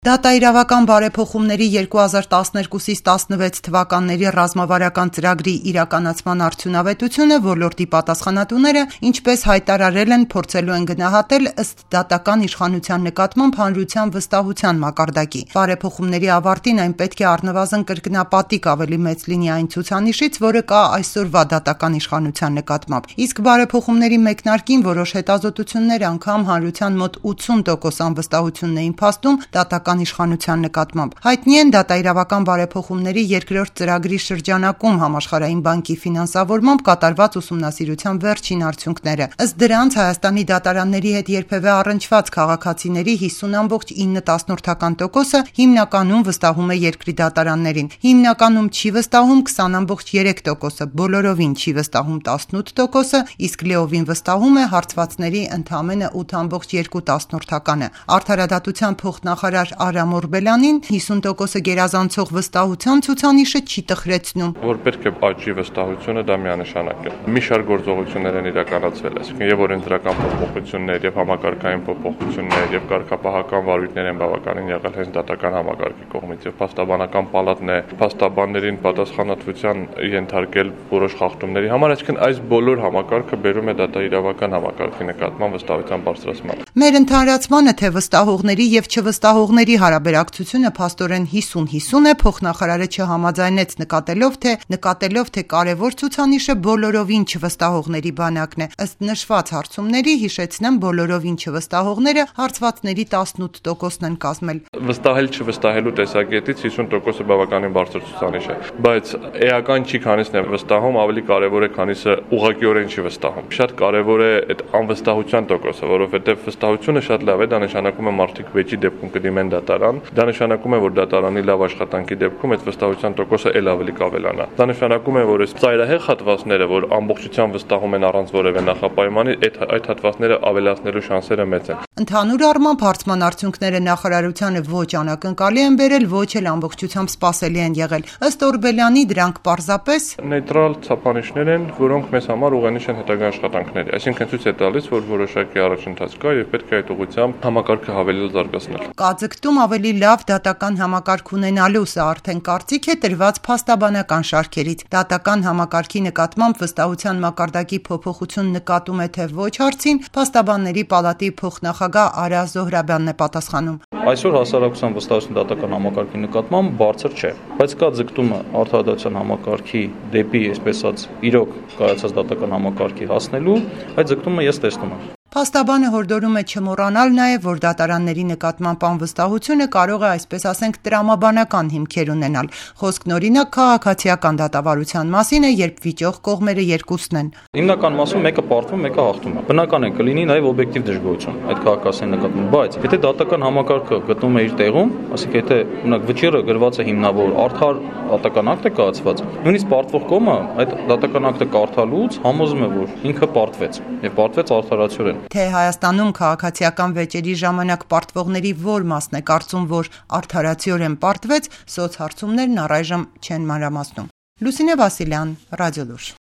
Դատաիրավական բարեփոխումների 2012-16 թվականների ռազմավարական ծրագրի իրականացման արդյունավետությունը ոլորտի պատասխանատուները, ինչպես հայտարարել են, փորձելու են գնահատել ըստ դատական իշխանության նկատմամբ հանրության վստահության մակարդակի։ Բարեփոխումների ավարտին այն պետք է առնվազն կրկնապատիկ ավելի մեծ լինի այն ցուցանիշից, որը կա այսօրվա դատական իշխանության նկատմամբ։ Իսկ բարեփոխումների մեկնարկին որոշ հետազոտություններ անգամ հանրության մոտ 80% անվստահությունն էին փաստում դատական իշխանության նկատմամբ։ Հայտնի են դատաիրավական բարեփոխումների երկրորդ ծրագրի շրջանակում Համաշխարհային բանկի ֆինանսավորմամբ կատարված ուսումնասիրության վերջին արդյունքները։ Ըստ դրանց Հայաստանի դատարանների հետ երբևէ առնչված քաղաքացիների 50.9%-ը հիմնականում վստահում է երկրի դատարաններին, հիմնականում չի վստահում 20.3%-ը, բոլորովին չի վստահում 18%-ը, իսկ լիովին վստահում է հարցվածների ընդամենը 8.2%-ը։ Արդարադատության փոխնախարար Արամ Օրբելյանին 50%-ը գերազանցող վստահության ցուցանիշը չի տխրեցնում։ Որ պետք է աճի վստահությունը, դա միանշանակ է։ Մի շարք գործողություններ են իրականացվել, այսինքն եւ օրենսդրական փոփոխություններ, եւ համակարգային փոփոխություններ, եւ կարգապահական վարույթներ են բավականին եղել հենց դատական համակարգի կողմից, եւ փաստաբանական պալատն է փաստաբաններին պատասխանատվության ենթարկել որոշ խախտումների համար, այսինքն այս բոլոր համակարգը բերում է դատաիրավական համակարգի նկատմամբ վստահության բարձրացման։ Մեր ընդհանրացմանը թե վստահողների եւ չվստահողների հարաբերակցությունը փաստորեն 50-50 է, փոխնախարարը չհամաձայնեց նկատելով թե կարևոր ցուցանիշը բոլորովին չվստահողների բանակն է։ Ըստ նշված հարցումների, հիշեցնեմ, բոլորովին չվստահողները հարցվածների 18%-ն են կազմել։ Վստահել չվստահելու տեսակետից 50%-ը բավականին բարձր ցուցանիշ է, բայց էական չի, քանիսն է վստահում, ավելի կարևոր է, քանիսը ուղղակիորեն չի վստահում։ Շատ կարևոր է այդ անվստահության տոկոսը, որովհետև վստահությունը շատ լավ է, դա նշանակում է մարդիկ վեճի դեպքում կդիմեն դատարան, դա նշանակում է, որ դատարանի լավ աշխատանքի դեպքում այդ վստահության տոկոսը ել ավելի կավելանա։ Դա նշանակում է, որ այս ծայրահեղ հատվածները, որ ամբողջությամբ վստահում են առանց որևէ նախապայմանի, այդ հատվածները ավելացնելու շանսերը մեծ են։ Ընդհանուր առմամբ հարցման արդյունքները նախարարությանը ոչ անակնկալի են բերել, ոչ էլ ամբողջությամբ սպասելի են եղել։ Ըստ Օրբելյանի դրանք պարզապես նեյտրալ ցուցանիշներ են, որոնք մեզ համար ուղենիշ են հետագա աշխատանքների։ Այսինքն ցույց է տալիս, որ որոշակի առաջընթաց կա եւ պետք է այդ ուղղությամբ համակարգը հավելել զարգացնել։ Կազգտում ավելի լավ դատական համակարգ ունենալու, սա արդեն կարծիք է տրված փաստաբանական շարքերից։ Դատական համակարգի նկատմամբ վստահության մակարդակի փոփոխություն նկատում է թե ոչ հարցին, փաստաբանների պալատի փոխնախագահ Արա Զոհրաբյանն է պատասխանում։ Այսօր հասարակության վստահություն դատական համակարգի նկատմամբ բարձր չէ, բայց կա ձգտումը արդարադատության համակարգի դեպի, այսպես ասած, իրոք կայացած դատական համակարգի հասնելու, այդ ձգտումը ես տեսնում եմ։ Փաստաբանը հորդորում է չմոռանալ նաև, որ դատարանների նկատմամբ անվստահությունը կարող է, այսպես ասենք, տրամաբանական հիմքեր ունենալ։ Խոսքն օրինակ քաղաքացիական դատավարության մասին է, երբ վիճող կողմերը երկուսն են։ Հիմնական մասում մեկը պարտվում, մեկը հաղթում է։ Բնական է կլինի նաև օբյեկտիվ դժգոհություն այդ քաղաքացիների նկատմամբ, բայց եթե դատական համակարգը գտնում է իր տեղում, ասենք եթե օրինակ վճիռը գրված է հիմնավոր արդար դատական ակտ է կայացված, նույնիսկ պարտվող կողմը այդ դատական ակտը կարդալուց համոզում է, որ ինքը պարտվեց եւ պարտվեց արդարացիորեն։ Թե Հայաստանում քաղաքացիական վեճերի ժամանակ պարտվողների որ մասն է կարծում, որ արդարացիորեն պարտվեց, սոցհարցումներն առայժմ չեն մանրամասնում։ Լուսինե Վասիլյան, Ռադիոլուր։